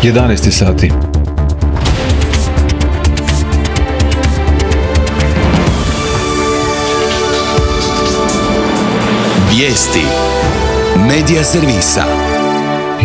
11 sati. Vijesti Medija servisa.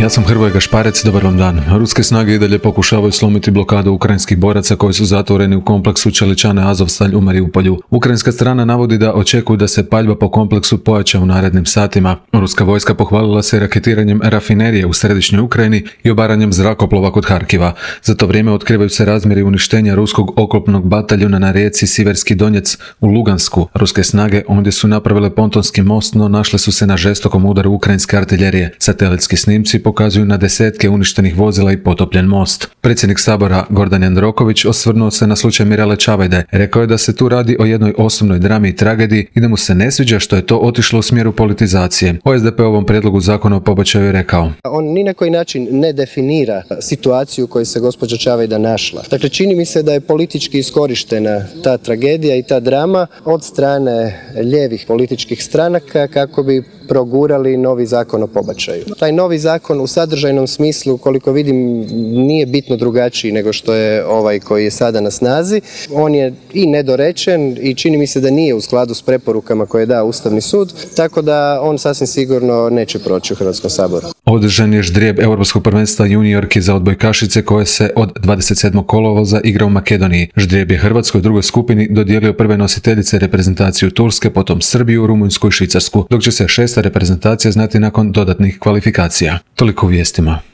Ja sam Hrvoje Gašparec, dobar vam dan. Ruske snage i dalje pokušavaju slomiti blokadu ukrajinskih boraca koji su zatvoreni u kompleksu Čeličane Azovstalj u Mariupolju. Ukrajinska strana navodi da očekuju da se paljba po kompleksu pojača u narednim satima. Ruska vojska pohvalila se raketiranjem rafinerije u središnjoj Ukrajini i obaranjem zrakoplova kod Harkiva. Za to vrijeme otkrivaju se razmjeri uništenja ruskog oklopnog bataljuna na rijeci Siverski Donjec u Lugansku. Ruske snage ondje su napravile pontonski most, no našle su se na žestokom udaru ukrajinske artiljerije. Satelitski snimci pokazuju na desetke uništenih vozila i potopljen most. Predsjednik Sabora Gordan Jandroković osvrnuo se na slučaj Mirele Čavajde. Rekao je da se tu radi o jednoj osobnoj drami i tragediji i da mu se ne sviđa što je to otišlo u smjeru politizacije. O SDP-ovom prijedlogu zakona o pobačaju je rekao: On ni na koji način ne definira situaciju u kojoj se gospođa Čavajda našla. Dakle, čini mi se da je politički iskorištena ta tragedija i ta drama od strane lijevih političkih stranaka kako bi progurali novi zakon o pobačaju. Taj novi zakon u sadržajnom smislu, koliko vidim, nije bitno drugačiji nego što je ovaj koji je sada na snazi. On je i nedorečen i čini mi se da nije u skladu s preporukama koje je dao Ustavni sud, tako da on sasvim sigurno neće proći u Hrvatskom saboru. Održan je ždrijeb Europskog prvenstva juniorki za odbojkašice koje se od 27. kolovoza igra u Makedoniji. Ždrijeb je Hrvatskoj u drugoj skupini dodijelio prve nositeljice reprezentaciju Turske, potom Srbiju, Rumunjsku i Švicarsku, dok će se šesta reprezentacija znati nakon dodatnih kvalifikacija. Toliko u vijestima.